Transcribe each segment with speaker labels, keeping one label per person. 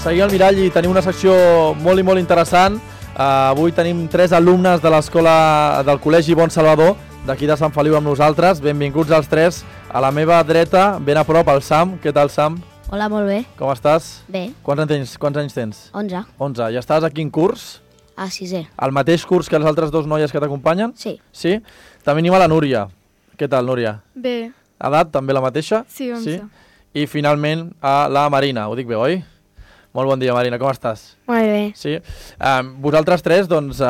Speaker 1: Seguim al Mirall i tenim una secció molt i molt interessant. Avui tenim 3 alumnes de l'escola del Col·legi Bon Salvador, d'aquí de Sant Feliu amb nosaltres. Benvinguts als 3. A la meva dreta, ben a prop, el Sam. Què tal, Sam?
Speaker 2: Hola, molt bé.
Speaker 1: Com estàs?
Speaker 2: Bé.
Speaker 1: Quants anys tens?
Speaker 2: 11.
Speaker 1: 11. Ja estàs a quin curs?
Speaker 2: A 6è.
Speaker 1: El mateix curs que les altres 2 noies que t'acompanyen?
Speaker 2: Sí.
Speaker 1: Sí? També tenim a la Núria. Què tal, Núria?
Speaker 3: Bé.
Speaker 1: Edat, també la mateixa?
Speaker 3: Sí, 11.
Speaker 1: Sí? I finalment a la Marina. Ho dic bé, oi? Molt bon dia, Marina. Com estàs?
Speaker 2: Molt bé.
Speaker 1: Sí? Vosaltres 3, doncs,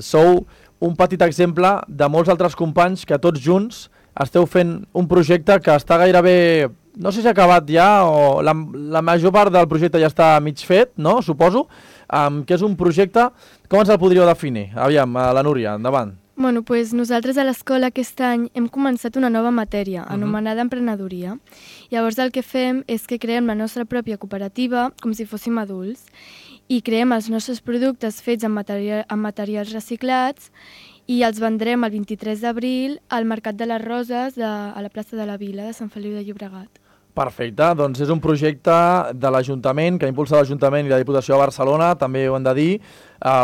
Speaker 1: sou un petit exemple de molts altres companys que tots junts esteu fent un projecte que està gairebé, no sé si ha acabat ja o la major part del projecte ja està mig fet, no? Suposo, que és un projecte, com ens el podríeu definir? Aviam, la Núria, endavant.
Speaker 3: Bueno, pues nosaltres a l'escola aquest any hem començat una nova matèria, anomenada emprenedoria. Llavors el que fem és que creem la nostra pròpia cooperativa com si fóssim adults i creem els nostres productes fets amb materials reciclats i els vendrem el 23 d'abril al Mercat de les Roses a la plaça de la Vila de Sant Feliu de Llobregat.
Speaker 1: Perfecte, doncs és un projecte de l'Ajuntament, que ha impulsat l'Ajuntament i la Diputació de Barcelona, també ho hem de dir,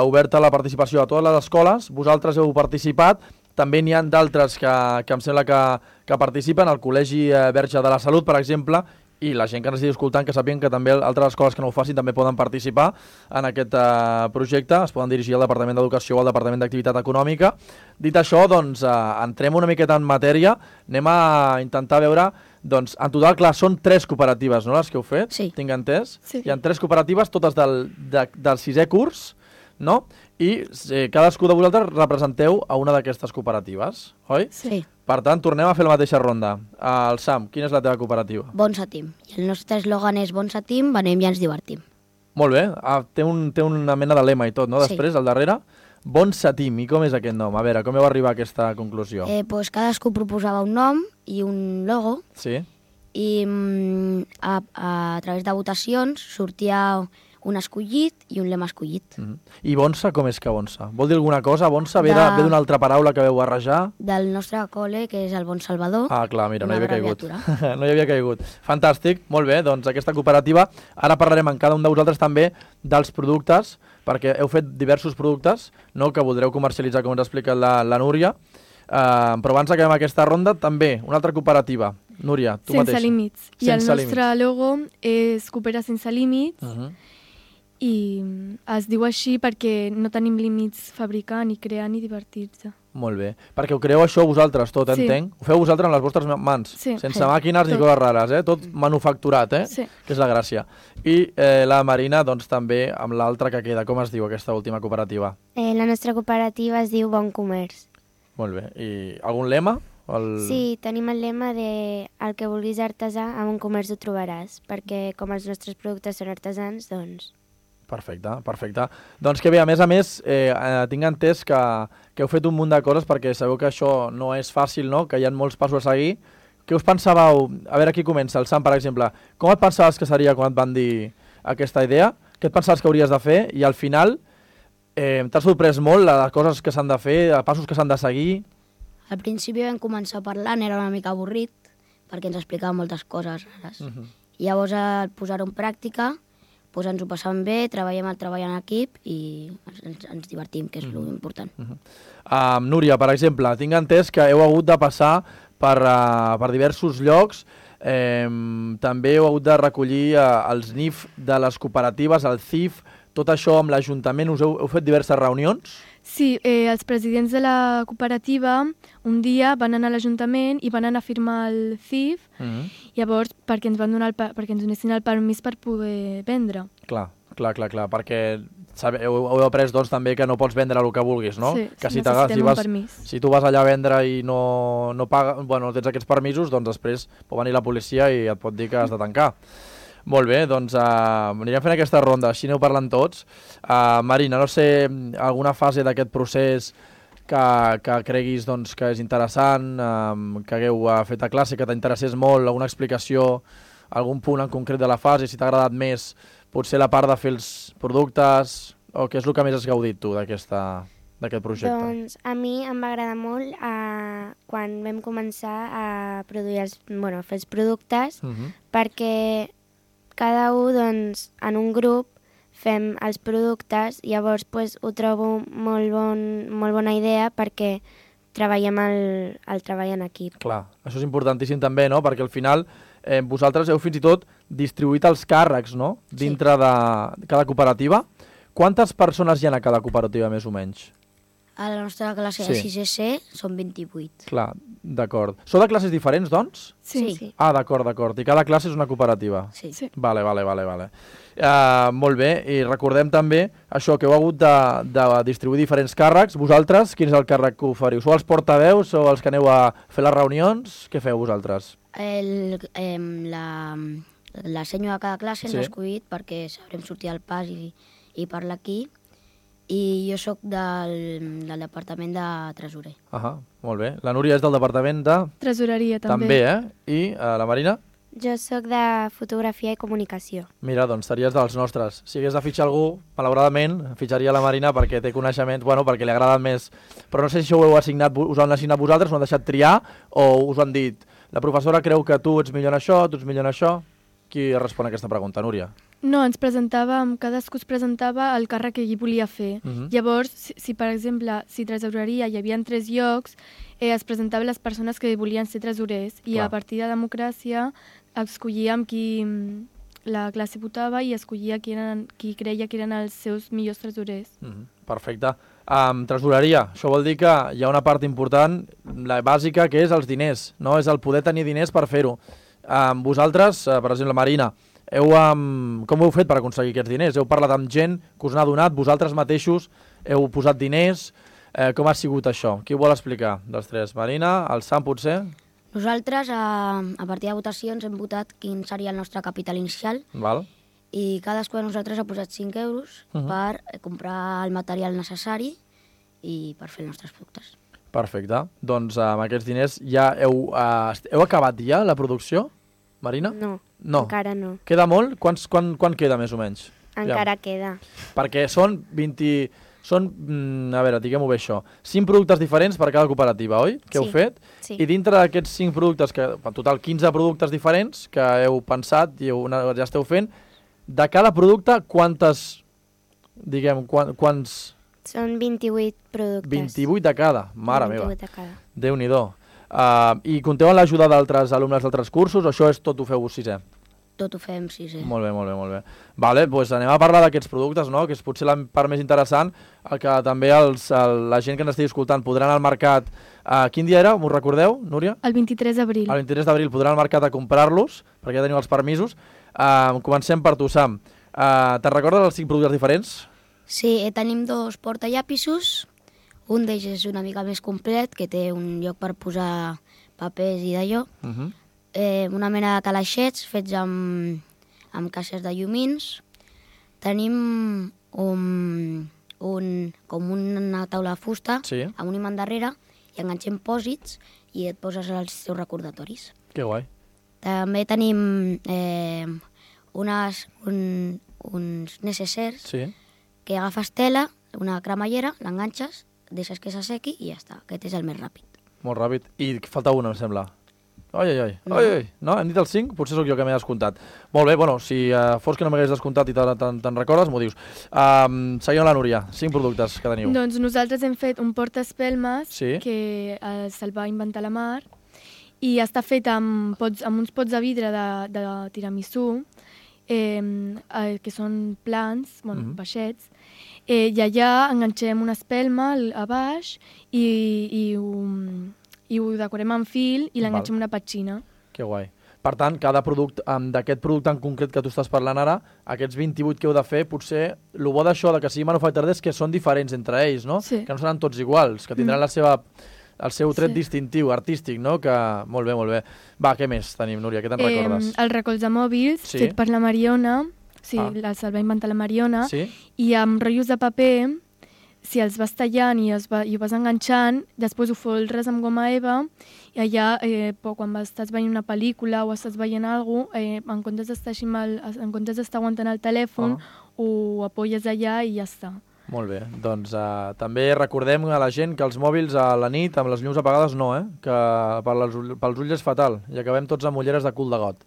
Speaker 1: oberta a la participació a totes les escoles. Vosaltres heu participat, també n'hi ha d'altres que em sembla que participen, el Col·legi Verge de la Salut, per exemple, i la gent que ens estigui escoltant que sàpiguen que també altres escoles que no ho facin també poden participar en aquest projecte, es poden dirigir al Departament d'Educació o al Departament d'Activitat Econòmica. Dit això, doncs, entrem una miqueta en matèria, anem a intentar veure, doncs, en total, clar, són 3 cooperatives, no?, les que heu fet,
Speaker 2: Sí.
Speaker 1: tinc entès?
Speaker 3: Sí.
Speaker 1: Hi ha 3 cooperatives, totes del 6è curs, no? I cadascú de vosaltres representeu a una d'aquestes cooperatives, oi?
Speaker 2: Sí.
Speaker 1: Per tant, tornem a fer la mateixa ronda. El Sam, quina és la teva cooperativa?
Speaker 2: Bon Satim. I el nostre eslògan és Bon Satim, venem i ens divertim.
Speaker 1: Molt bé, té una mena de lema i tot, no?
Speaker 2: Sí.
Speaker 1: Després, al darrere. Bon Satim, i com és aquest nom? A veure, com heu arribat a aquesta conclusió?
Speaker 2: Pues cadascú proposava un nom i un logo
Speaker 1: Sí?
Speaker 2: i a través de votacions sortia un escollit i un lema escollit.
Speaker 1: I Bonsa, com és que Bonsa? Vol dir alguna cosa? Bonsa ve
Speaker 2: De-
Speaker 1: d'una altra paraula que veu barrejar?
Speaker 2: Del nostre col·le, que és el Bon Salvador.
Speaker 1: Ah, clar, mira, no hi
Speaker 2: Una
Speaker 1: havia caigut.
Speaker 2: abreviatura.
Speaker 1: No hi havia caigut. Fantàstic, molt bé, doncs aquesta cooperativa. Ara parlarem en cada un de vosaltres també dels productes, perquè heu fet diversos productes, no?, que voldreu comercialitzar, com ens ha explicat la Núria. Però abans acabem aquesta ronda, també, una altra cooperativa. Núria, tu mateixa.
Speaker 3: Sense límits. I el
Speaker 1: Sense
Speaker 3: nostre logo és Coopera sense límits i es diu així perquè no tenim límits fabricant, ni crear, ni divertir-se.
Speaker 1: Molt bé. Perquè ho creeu això vosaltres, tot,
Speaker 3: Sí.
Speaker 1: entenc? Ho feu vosaltres amb les vostres mans,
Speaker 3: Sí.
Speaker 1: sense
Speaker 2: Sí.
Speaker 1: màquines ni
Speaker 3: Tot.
Speaker 1: coses rares, tot manufacturat,
Speaker 3: Sí.
Speaker 1: que és la gràcia. I la Marina, doncs, també amb l'altra que queda. Com es diu aquesta última cooperativa?
Speaker 4: La nostra cooperativa es diu Bon Comerç.
Speaker 1: Molt bé. I algun lema?
Speaker 4: Sí, tenim el lema de el que vulguis artesà, a Bon Comerç ho trobaràs, perquè com els nostres productes són artesans, doncs...
Speaker 1: Perfecte, perfecte. Doncs que bé, a més, tinc entès que heu fet un munt de coses perquè sabeu que això no és fàcil, no?, que hi ha molts passos a seguir. Què us pensàveu? A veure, qui comença? El Sam, per exemple. Com et pensaves que seria quan et van dir aquesta idea? Què et pensaves que hauries de fer? I al final t'ha sorprès molt les coses que s'han de fer, els passos que s'han de seguir?
Speaker 2: Al principi vam començar parlant, era una mica avorrit, perquè ens explicava moltes coses rares. I llavors, al posar-ho en pràctica, doncs ens ho passàvem bé, treballem el treball en equip i ens divertim, que és l'important.
Speaker 1: Núria, per exemple, tinc entès que heu hagut de passar per diversos llocs, també heu hagut de recollir els NIF de les cooperatives, el CIF, tot això amb l'Ajuntament, heu fet diverses reunions?
Speaker 3: Sí, els presidents de la cooperativa un dia van anar a l'Ajuntament i van anar a firmar el CIF, llavors perquè ens van donar perquè ens donessin el permís per poder vendre.
Speaker 1: Clar, perquè heu après doncs, també que no pots vendre el que vulguis, no?
Speaker 3: Sí,
Speaker 1: que
Speaker 3: necessitem un permís.
Speaker 1: Si tu vas allà a vendre i no tens aquests permisos, doncs després pot venir la policia i et pot dir que has de tancar. Molt bé, doncs anirem fent aquesta ronda, així aneu parlant tots. Marina, no sé, alguna fase d'aquest procés que creguis doncs, que és interessant, que hagueu fet a classe, que t'interessés molt, alguna explicació, algun punt en concret de la fase, si t'ha agradat més, potser la part de fer els productes, o què és el que més has gaudit tu d'aquest projecte?
Speaker 4: Doncs a mi em va agradar molt quan vam començar a produir fer els productes, perquè cada un, doncs, en un grup fem els productes, llavors pues, ho trobo molt bona idea perquè treballem el treball en equip.
Speaker 1: Clar, això és importantíssim també, no? Perquè al final vosaltres heu fins i tot distribuït els càrrecs, no? Dintre de cada cooperativa. Quantes persones hi ha a cada cooperativa, més o menys?
Speaker 2: A la nostra classe de 6C són 28.
Speaker 1: Clar, d'acord. Sou de classes diferents, doncs?
Speaker 2: Sí.
Speaker 1: Ah, d'acord. I cada classe és una cooperativa?
Speaker 2: Sí.
Speaker 1: Vale. Molt bé, i recordem també això, que heu hagut de distribuir diferents càrrecs. Vosaltres, quin és el càrrec que oferiu? Sou els portaveus, sou els que aneu a fer les reunions? Què feu vosaltres?
Speaker 2: La senyo de cada classe ens ha escollit perquè sabrem sortir al pas i parlar aquí. I jo sóc del departament de tresorer.
Speaker 1: Molt bé. La Núria és del departament de...
Speaker 3: Tresoreria, també.
Speaker 1: També, I la Marina?
Speaker 4: Jo sóc de fotografia i comunicació.
Speaker 1: Mira, doncs series dels nostres. Si hagués de fitxar algú, malauradament, fitxaria la Marina perquè té coneixements, perquè li agrada més. Però no sé si això ho heu assignat, us ho han assignat vosaltres, us ho han deixat triar, o us ho han dit, la professora creu que tu ets millor en això, tu ets millor en això? Qui respon a aquesta pregunta, Núria?
Speaker 3: No, cadascú es presentava el càrrec que ell volia fer. Llavors, si per exemple, si tresoreria hi havia 3 llocs, es presentaven les persones que volien ser tresorers i a partir de democràcia escollíem qui la classe votava i escollia qui creia que eren els seus millors tresorers.
Speaker 1: Perfecte. Tresoreria, això vol dir que hi ha una part important, la bàsica, que és els diners, no? És el poder tenir diners per fer-ho. Vosaltres, per exemple, Marina, com ho heu fet per aconseguir aquests diners? Heu parlat amb gent que us n'ha donat, vosaltres mateixos heu posat diners, com ha sigut això? Qui ho vol explicar dels 3? Marina, el Sam potser?
Speaker 2: Nosaltres, a partir de votacions, hem votat quin seria el nostre capital inicial.
Speaker 1: Val.
Speaker 2: I cadascú de nosaltres ha posat 5 euros per comprar el material necessari i per fer els nostres productes.
Speaker 1: Perfecte. Doncs amb aquests diners ja heu acabat ja la producció, Marina?
Speaker 4: No, encara no.
Speaker 1: Queda molt? Quan queda, més o menys?
Speaker 4: Encara queda.
Speaker 1: Perquè són 20... a veure, diguem-ho bé això, 5 productes diferents per cada cooperativa, oi? Que heu fet?
Speaker 4: Sí.
Speaker 1: I dintre d'aquests 5 productes, en total 15 productes diferents que heu pensat i ja esteu fent, de cada producte quants...
Speaker 4: Són 28 productes.
Speaker 1: 28 de cada, mare meva.
Speaker 4: 28 de cada.
Speaker 1: Déu-n'hi-do. I compteu amb l'ajuda d'altres alumnes d'altres cursos o això és tot ho feu 6è?
Speaker 2: Tot ho fem 6è.
Speaker 1: Molt bé. Vale, doncs anem a parlar d'aquests productes, no? Que és potser la part més interessant, el que també la gent que ens estigui escoltant podrà anar al mercat. Quin dia era, m'ho recordeu, Núria?
Speaker 3: El 23 d'abril.
Speaker 1: El 23 d'abril podran al mercat a comprar-los, perquè ja teniu els permisos. Comencem per tu, Sam. Te'n recordes els 5 productes diferents?
Speaker 2: Sí, tenim 2 portallapissos. Un d'ells és una mica més complet, que té un lloc per posar papers i d'allò. Una mena de calaixets fets amb caixes de llumins. Tenim com una taula de fusta amb un imant darrere i enganxem pòsits i et poses els teus recordatoris.
Speaker 1: Que guai.
Speaker 2: També tenim uns necessers que agafes tela, una cremallera, l'enganxes, deixes que s'assequi i ja està. Aquest és el més ràpid.
Speaker 1: Molt ràpid. I falta una, em sembla. Ai. No, hem dit el 5? Potser sóc jo que m'he descomptat. Molt bé, bueno, si fos que no m'hagués descomptat i te'n recordes, m'ho dius. Seguim la Núria, 5 productes que teniu.
Speaker 3: Doncs nosaltres hem fet un portaespelmes que se'l va inventar la Mar i està fet amb uns pots de vidre de tiramisú, que són plans, baixets, i allà enganxem una espelma a baix i ho decorem amb fil i l'enganxem una petxina.
Speaker 1: Que guai. Per tant, cada producte, d'aquest producte en concret que tu estàs parlant ara, aquests 28 que heu de fer, potser el bo d'això que sigui manufacturers és que són diferents entre ells, no?
Speaker 3: Sí.
Speaker 1: Que no seran tots iguals, que tindran el seu tret distintiu, artístic, no? Que... Molt bé. Va, què més tenim, Núria? Què te'n recordes?
Speaker 3: El recolzar mòbils, fet per la Mariona, se'l va inventar la Mariona, i amb rotllos de paper, si els vas tallant i ho vas enganxant, després ho folres amb goma eva i allà, quan estàs veient una pel·lícula o estàs veient alguna cosa, en comptes d'estar aguantant el telèfon, ho apoyes allà i ja està.
Speaker 1: Molt bé, doncs també recordem a la gent que els mòbils a la nit amb les llums apagades no, que pels ulls és fatal i acabem tots amb ulleres de cul de got.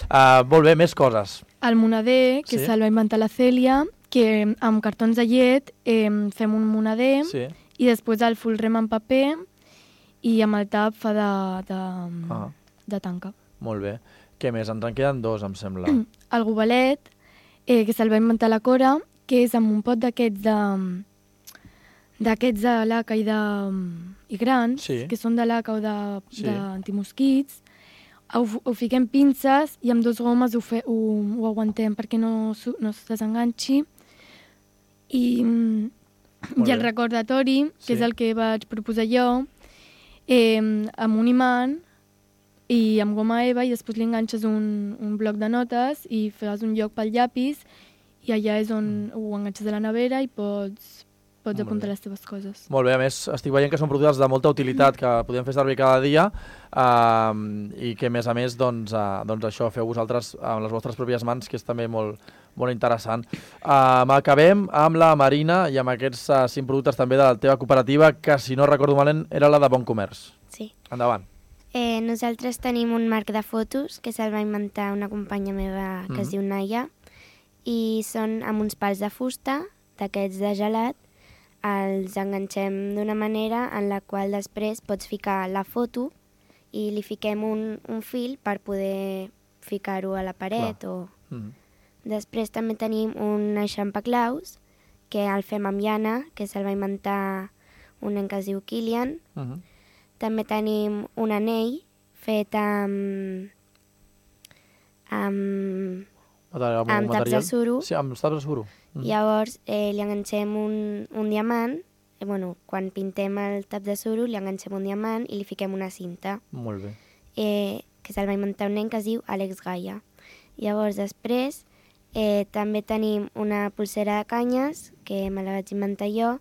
Speaker 1: Molt bé, més coses.
Speaker 3: El moneder, que
Speaker 1: Sí.
Speaker 3: se'l va inventar la Cèlia, que amb cartons de llet fem un moneder
Speaker 1: Sí.
Speaker 3: i després el folrem en paper i amb el tap fa de tanca.
Speaker 1: Molt bé. Què més? Ens en queden dos, em sembla.
Speaker 3: El gobelet, que se'l va inventar la Cora, que és amb un pot d'aquests de laca i grans,
Speaker 1: Sí.
Speaker 3: que són de laca o
Speaker 1: Sí.
Speaker 3: d'antimosquits. Ho fiquem pinces i amb 2 gomes ho aguantem perquè no es desenganxi. I
Speaker 1: Molt
Speaker 3: el
Speaker 1: bé.
Speaker 3: recordatori, que
Speaker 1: Sí.
Speaker 3: és el que vaig proposar jo, amb un imant i amb goma eva, i després li enganxes un bloc de notes i fas un lloc pel llapis i allà és on ho enganxes a la nevera i pots
Speaker 1: Molt
Speaker 3: apuntar
Speaker 1: bé.
Speaker 3: les teves coses.
Speaker 1: Molt bé, a més, estic veient que són productes de molta utilitat que podem fer servir cada dia i que, a més, doncs això, feu vosaltres amb les vostres pròpies mans, que és també molt interessant. Acabem amb la Marina i amb aquests 5 productes també de la teva cooperativa, que, si no recordo malament, era la de Bon Comerç.
Speaker 4: Sí.
Speaker 1: Endavant.
Speaker 4: Nosaltres tenim un marc de fotos que se'l va inventar una companya meva que es diu Naya, i són amb uns pals de fusta, d'aquests de gelat. Els enganxem d'una manera en la qual després pots ficar la foto i li fiquem un fil per poder ficar-ho a la paret. Després també tenim un eixampaclaus, que el fem amb llana, que se'l va inventar un nen que es diu Kilian. També tenim un anell fet amb taps de suro.
Speaker 1: Sí, amb taps de suro.
Speaker 4: Llavors li enganxem un diamant. Quan pintem el tap de suro li enganxem un diamant i li fiquem una cinta.
Speaker 1: Molt bé.
Speaker 4: Que se'l va inventar un nen que es diu Àlex Gaia. Llavors després també tenim una pulsera de canyes, que me la vaig inventar jo,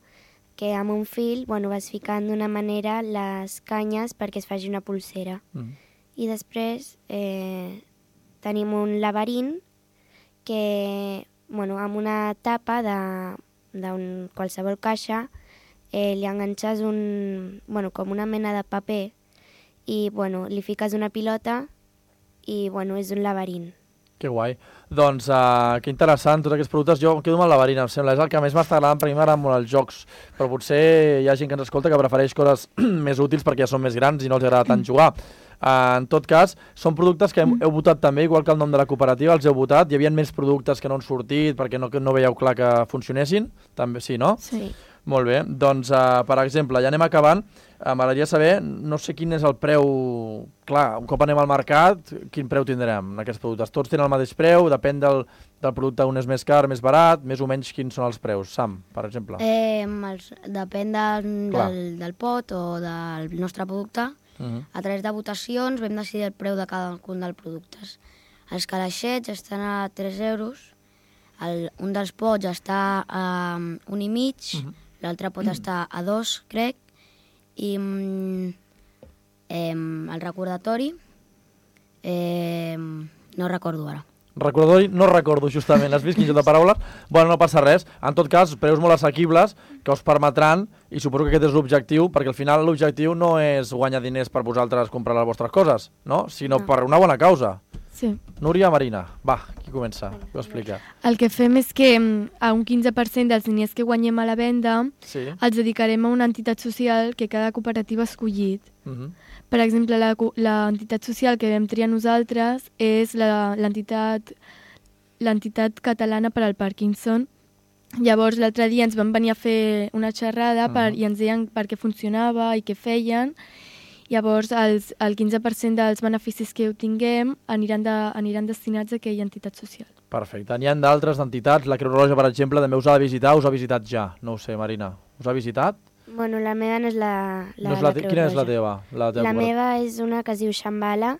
Speaker 4: que amb un fil vas ficant d'una manera les canyes perquè es faci una pulsera. I després tenim un laberint que, amb una tapa de qualsevol caixa li enganxes com una mena de paper i li fiques una pilota i és un laberint.
Speaker 1: Que guai. Doncs que interessant, tots aquests productes. Jo em quedo amb el laberint, em sembla. És el que més m'està agradant, per mi m'agraden molt els jocs, però potser hi ha gent que ens escolta que prefereix coses més útils perquè ja són més grans i no els agrada tant jugar. En tot cas, són productes que heu votat també, igual que el nom de la cooperativa, els heu votat. Hi havia més productes que no han sortit perquè no veieu clar que funcionessin? També sí, no?
Speaker 4: Sí.
Speaker 1: Molt bé. Doncs, per exemple, ja anem acabant. M'agradaria saber, no sé quin és el preu... Clar, un cop anem al mercat, quin preu tindrem en aquests productes? Tots tenen el mateix preu? Depèn del producte, un és més car, més barat? Més o menys quins són els preus? Sam, per exemple.
Speaker 2: Depèn del pot o del nostre producte. A través de votacions vam decidir el preu de cadascun dels productes. Els calaixets estan a 3 euros, un dels pots està a 1,5, l'altre pot estar a 2, crec, i el recordatori no recordo ara.
Speaker 1: Recordatori no recordo justament, has vist quin joc de paraules? Bueno, no passa res. En tot cas, preus molt assequibles que us permetran, i suposo que aquest és l'objectiu, perquè al final l'objectiu no és guanyar diners per vosaltres comprar les vostres coses, no? Sinó per una bona causa.
Speaker 3: Sí.
Speaker 1: Núria, Marina, va, qui comença? Qui ho explica?
Speaker 3: El que fem és que a un 15% dels diners que guanyem a la venda els dedicarem a una entitat social que cada cooperativa ha escollit. Per exemple, l'entitat social que vam triar nosaltres és l'entitat catalana per al Parkinson. Llavors, l'altre dia ens van venir a fer una xerrada i ens deien per què funcionava i què feien. Llavors, el 15% dels beneficis que obtinguem aniran destinats a aquella entitat social.
Speaker 1: Perfecte. N'hi ha d'altres entitats. La Creu Roja, per exemple, també us ha de visitar. Us ha visitat ja? No ho sé, Marina. Us ha visitat?
Speaker 4: Bueno, la meva no és la Creu Roja.
Speaker 1: Quina és la teva?
Speaker 4: La meva és una que es diu Shambhala,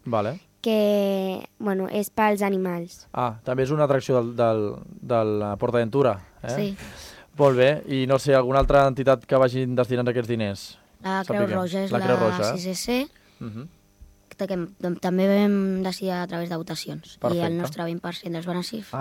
Speaker 4: que és pels animals.
Speaker 1: També és una atracció de la PortAventura.
Speaker 2: Sí.
Speaker 1: Molt bé. I no sé, alguna altra entitat que vagin destinant aquests diners?
Speaker 2: La Creu Roja és la 6SC, que també vam decidir a través de votacions. I el nostre 20%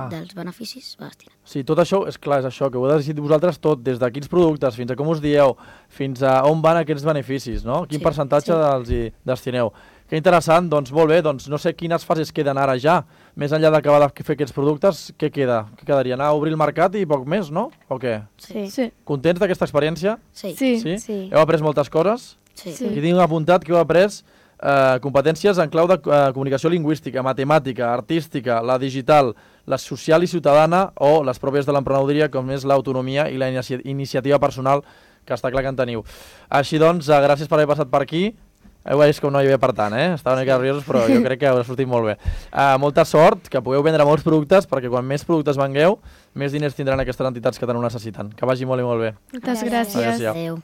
Speaker 2: dels beneficis va destinar.
Speaker 1: Sí, tot això, és clar, és això, que ho heu decidit vosaltres tot, des de quins productes, fins a com us dieu, fins a on van aquests beneficis, no? Quin percentatge els hi destineu. Que interessant, doncs molt bé, doncs no sé quines fases queden ara ja. Més enllà d'acabar de fer aquests productes, què queda? Què quedaria? Anar a obrir el mercat i poc més, no? O què?
Speaker 3: Sí.
Speaker 1: Contents d'aquesta experiència?
Speaker 2: Sí.
Speaker 3: Sí.
Speaker 1: Heu après moltes coses?
Speaker 2: Sí.
Speaker 3: Sí.
Speaker 1: Aquí tinc apuntat que heu après competències en clau de comunicació lingüística, matemàtica, artística, la digital, la social i ciutadana o les pròpies de l'emprenedoria, com és l'autonomia i la iniciativa personal, que està clar que en teniu. Així doncs, gràcies per haver passat per aquí. Heu vist com no hi havia per tant, Estava una mica nerviosos, però jo crec que haurà sortit molt bé. Molta sort, que pugueu vendre molts productes, perquè quan més productes vengueu, més diners tindran aquestes entitats que tant ho necessiten. Que vagi molt i molt bé.
Speaker 3: Moltes gràcies.
Speaker 1: Gràcies.
Speaker 2: Adéu.